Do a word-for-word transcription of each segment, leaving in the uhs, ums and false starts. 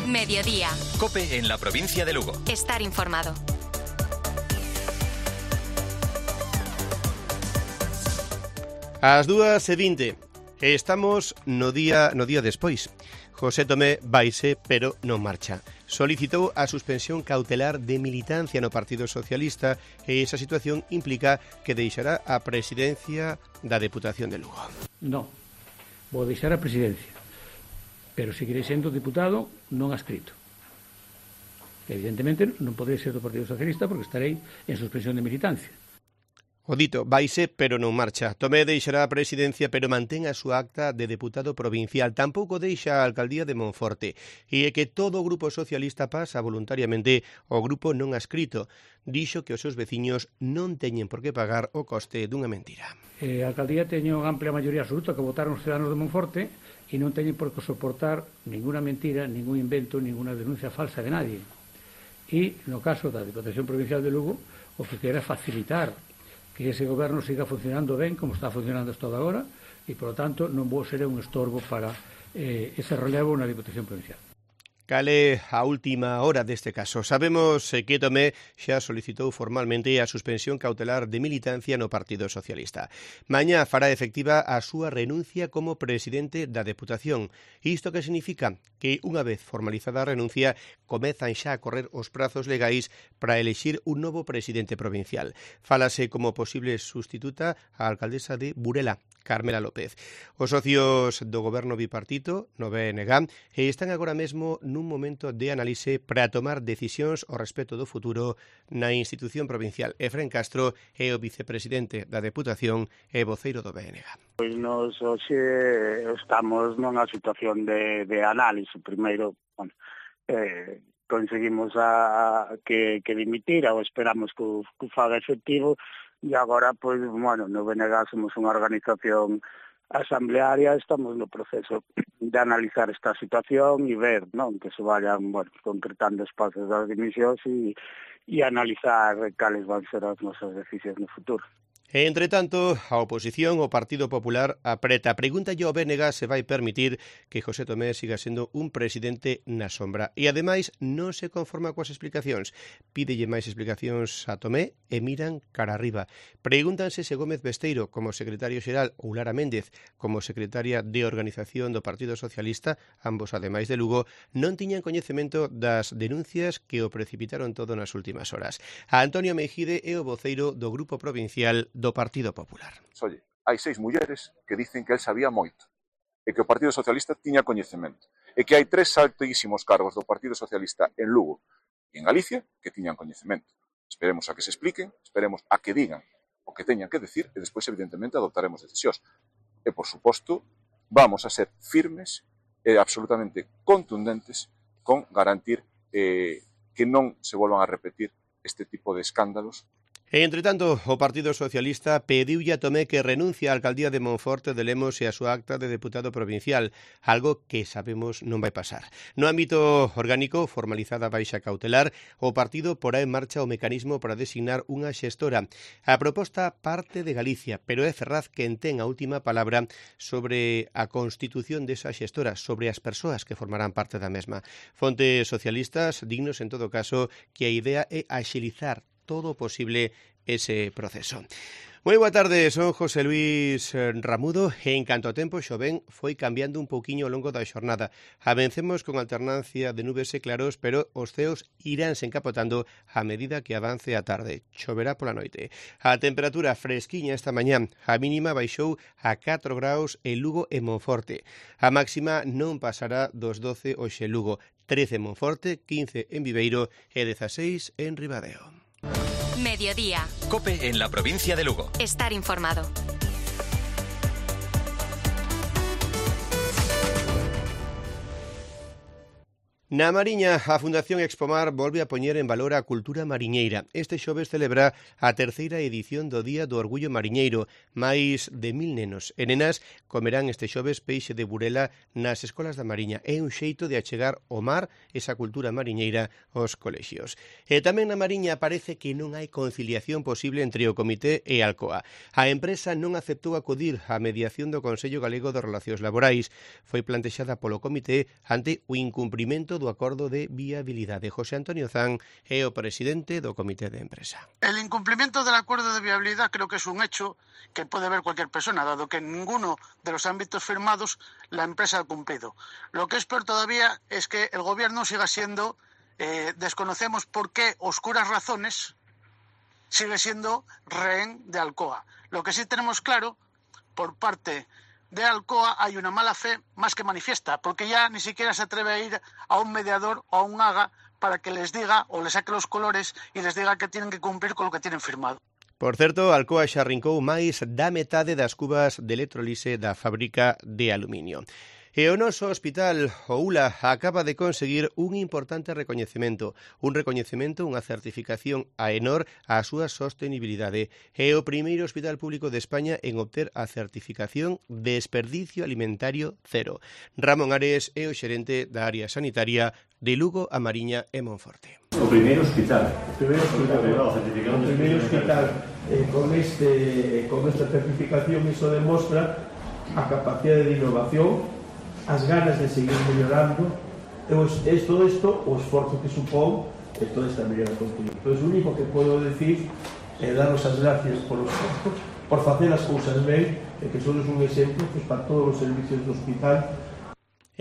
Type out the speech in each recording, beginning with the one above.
Mediodía. COPE en la provincia de Lugo. Estar informado. Ás dúas e vinte. Estamos no día no día despois. José Tomé vaise, pero non marcha. Solicitou a suspensión cautelar de militancia no Partido Socialista e esa situación implica que deixará a presidencia da Deputación de Lugo. Non, vou deixar a presidencia, pero seguirei sendo diputado non adscrito. Evidentemente non poderei ser do Partido Socialista porque estarei en suspensión de militancia. O dito, vaise, pero non marcha. Tomé deixará a presidencia, pero mantén a súa acta de deputado provincial. Tampouco deixa a alcaldía de Monforte. E é que todo o grupo socialista pasa voluntariamente ao grupo non adscrito. Dixo que os seus veciños non teñen por que pagar o coste dunha mentira. Eh, a alcaldía teño amplia maioría absoluta que votaron os ciudadanos de Monforte e non teñen por que soportar ninguna mentira, ningún invento, ninguna denuncia falsa de nadie. E, no caso da Diputación Provincial de Lugo, o que quere facilitar que ese goberno siga funcionando ben como está funcionando hasta agora e, por lo tanto, non vou ser un estorbo para eh, ese relevo na Diputación Provincial. Cale a última hora deste caso. Sabemos que Tomé xa solicitou formalmente a suspensión cautelar de militancia no Partido Socialista. Mañá fará efectiva a súa renuncia como presidente da Deputación. Isto que significa? Que unha vez formalizada a renuncia, comezan xa a correr os prazos legais para elexir un novo presidente provincial. Fálase como posible sustituta a alcaldesa de Burela, Carmela López. Os socios do goberno bipartito, no B N G, están agora mesmo nun momento de análise para tomar decisións ao respecto do futuro na institución provincial. Efrén Castro é o vicepresidente da Deputación e voceiro do B N G. Pois nos hoxe estamos nunha situación de, de análise. Primeiro, bueno, eh, conseguimos a, a que, que dimitira ou esperamos que o, que o faga efectivo. E agora, pois, bueno, no B N G somos unha organización asamblearia, estamos no proceso de analizar esta situación e ver, non, que se vayan, bueno, concretando os pasos das dimisións e, e analizar cales van ser as nosas decisións no futuro. Entre tanto, a oposición, o Partido Popular, apreta. Pregunta ao B N G se vai permitir que José Tomé siga sendo un presidente na sombra. E, ademais, non se conforma coas explicacións. Pídelle máis explicacións a Tomé e miran cara arriba. Pregúntanse se Gómez Besteiro, como secretario xeral, ou Lara Méndez, como secretaria de organización do Partido Socialista, ambos ademais de Lugo, non tiñan coñecemento das denuncias que o precipitaron todo nas últimas horas. A Antonio Mejide é o voceiro do Grupo Provincial do Partido Popular. Oye, hai seis mulleres que dicen que el sabía moito e que o Partido Socialista tiña coñecemento e que hai tres altísimos cargos do Partido Socialista en Lugo e en Galicia que tiñan coñecemento. Esperemos a que se expliquen, esperemos a que digan o que teñan que decir e despois, evidentemente, adoptaremos decisións. E, por suposto, vamos a ser firmes e absolutamente contundentes con garantir eh, que non se volvan a repetir este tipo de escándalos. E, entre tanto, o Partido Socialista pediulle a Tomé que renuncie á alcaldía de Monforte de Lemos e a súa acta de deputado provincial, algo que sabemos non vai pasar. No ámbito orgánico, formalizada a baixa cautelar, o partido porá en marcha o mecanismo para designar unha xestora. A proposta parte de Galicia, pero é Ferraz quen ten a última palabra sobre a constitución desa xestora, sobre as persoas que formarán parte da mesma. Fontes socialistas dignos, en todo caso, que a idea é axilizar todo posible ese proceso. Moi boa tarde, son José Luis Ramudo e en canto a tempo xoven foi cambiando un pouquiño ao longo da xornada. Avencemos con alternancia de nubes e claros, pero os ceos iránse encapotando a medida que avance a tarde. Choverá pola noite. A temperatura fresquiña esta mañá, a mínima baixou a catro graus en Lugo e Monforte. A máxima non pasará dos doce hoxe en Lugo, trece en Monforte, quince en Viveiro e dezaseis en Ribadeo. Mediodía. COPE en la provincia de Lugo. Estar informado. Na Mariña, a Fundación Expomar volve a poñer en valor a cultura mariñeira. Este xoves celebra a terceira edición do Día do Orgullo Mariñeiro. Máis de mil nenos e nenas comerán este xoves peixe de burela nas escolas da Mariña. É un xeito de achegar o mar, esa cultura mariñeira, aos colexios. E tamén na Mariña parece que non hai conciliación posible entre o Comité e Alcoa. A empresa non aceptou acudir á mediación do Consello Galego de Relacións Laborais. Foi plantexada polo Comité ante o incumprimento do acordo de viabilidade. José Antonio Zan é o presidente do Comité de Empresa. El incumplimiento del acuerdo de viabilidad creo que es un hecho que puede ver cualquier persona, dado que en ninguno de los ámbitos firmados la empresa ha cumplido. Lo que es peor todavía es que el gobierno siga siendo, eh, desconocemos por qué oscuras razones, sigue siendo rehén de Alcoa. Lo que sí tenemos claro, por parte de Alcoa hay una mala fe más que manifiesta, porque ya ni siquiera se atreve a ir a un mediador o a un AGA para que les diga o les saque los colores y les diga que tienen que cumplir con lo que tienen firmado. Por certo, Alcoa xa arrincou máis da metade das cubas de electrolise da fábrica de aluminio. E o noso hospital, o U L A, acaba de conseguir un importante recoñecemento, un recoñecemento, unha certificación a Enor á súa sostenibilidade. É o primeiro hospital público de España en obter a certificación Desperdicio Alimentario Cero. Ramón Ares é o xerente da área sanitaria de Lugo, A Mariña e Monforte. O primeiro hospital. O primeiro hospital, o primeiro hospital eh, con, este, con esta certificación, iso demostra a capacidade de innovación, as ganas de seguir mellorando, e todo isto, o esforzo que supón e toda esta mellora continua. Entón, o único que podo decir é daros as gracias por os esforzos, por facer as cousas ben, e que sodes un exemplo pues, para todos os servicios do hospital.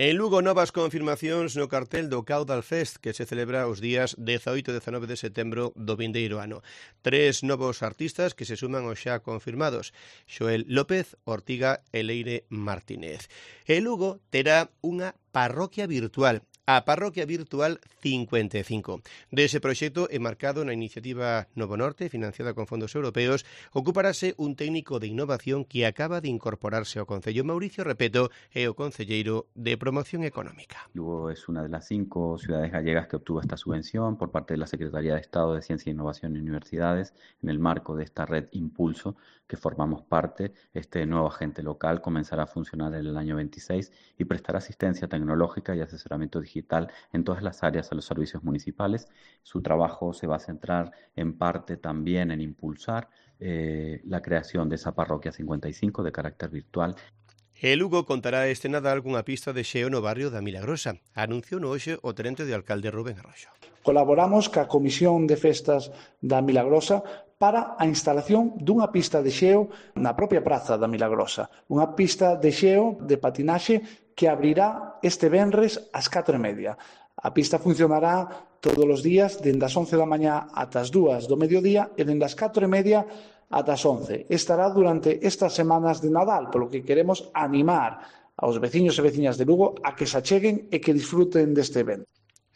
En Lugo, novas confirmacións no cartel do Caudal Fest, que se celebra os días dezaoito e dezanove de setembro do vindeiro ano. Tres novos artistas que se suman aos xa confirmados: Xoel López, Ortiga e Leire Martínez. E Lugo terá unha parroquia virtual, a Parroquia Virtual cincuenta e cinco. Dese proxecto enmarcado na iniciativa Novo Norte, financiada con fondos europeos, ocuparase un técnico de innovación que acaba de incorporarse ao Concello. Mauricio Repeto é o concelleiro de Promoción Económica. Lugo es una de las cinco ciudades gallegas que obtuvo esta subvención por parte de la Secretaría de Estado de Ciencia e Innovación y Universidades en el marco de esta red Impulso, que formamos parte. Este nuevo agente local comenzará a funcionar en el año veintiséis y prestará asistencia tecnológica y asesoramiento digital en todas las áreas a los servicios municipales. Su trabajo se va a centrar en parte también en impulsar eh, la creación de esa parroquia cincuenta y cinco de carácter virtual. E Lugo contará este Nadal cunha pista de xeo no barrio da Milagrosa. Anunciou no hoxe o tenente de alcalde Rubén Arroxo. Colaboramos ca Comisión de Festas da Milagrosa para a instalación dunha pista de xeo na propia praza da Milagrosa. Unha pista de xeo de patinaxe que abrirá este venres ás catro e media. A pista funcionará todos os días dende as once da mañá ata as dúas do mediodía e dende as catro e media ata as once. Estará durante estas semanas de Nadal, polo que queremos animar aos veciños e veciñas de Lugo a que se acheguen e que disfruten deste evento.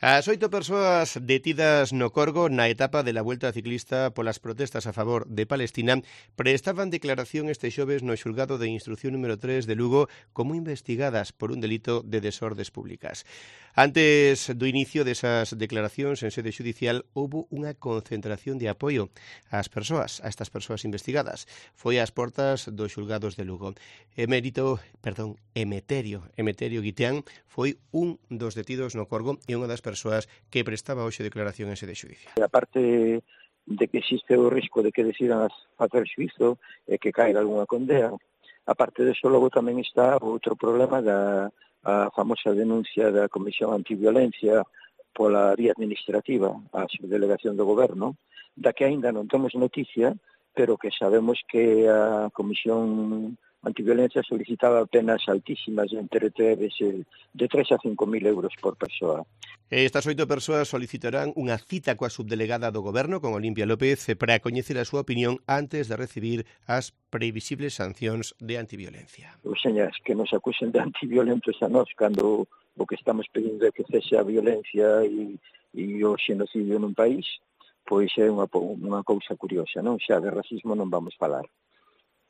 As oito persoas detidas no Corgo na etapa de la Vuelta Ciclista polas protestas a favor de Palestina prestaban declaración este xoves no xulgado de instrucción número tres de Lugo como investigadas por un delito de desordes públicas. Antes do inicio desas declaracións en sede judicial houbo unha concentración de apoio ás persoas, a estas persoas investigadas. Foi ás portas dos xulgados de Lugo. Emérito, perdón, Emeterio, Emeterio Guiteán foi un dos detidos no Corgo e unha das persoas que prestaba hoxe declaración en sede judicial. A parte de que existe o risco de que decidan facer xuízo e que caiga algunha condena, a parte deso logo tamén está outro problema da a famosa denuncia da Comisión Antiviolencia pola vía administrativa á subdelegación do Goberno, da que aínda non temos noticia, pero que sabemos que a Comisión Antiviolencia solicitaba penas altísimas entre de tres a cinco mil euros por persoa. Estas oito persoas solicitarán unha cita coa subdelegada do Goberno, con Olimpia López, para coñecer a súa opinión antes de recibir as previsibles sancións de antiviolencia. Os señas que nos acusen de antiviolentos a nós cando o que estamos pedindo é que cese a violencia e, e o xenocidio nun país, pois é unha, unha cousa curiosa, non? Xa de racismo non vamos falar.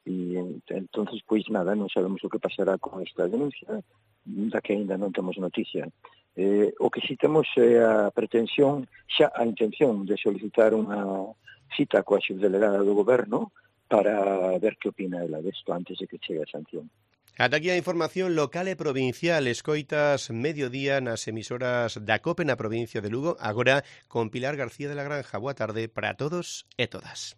E entonces, pois nada, non sabemos o que pasará con esta denuncia, da que ainda non temos noticia. Eh, o que si temos é a pretensión, xa a intención de solicitar unha cita coa subdelegada do Goberno para ver que opina ela desto antes de que chegue a sanción. Ata aquí a información local e provincial. Escoitas Mediodía nas emisoras da COPE na provincia de Lugo. Agora con Pilar García de la Granja. Boa tarde para todos e todas.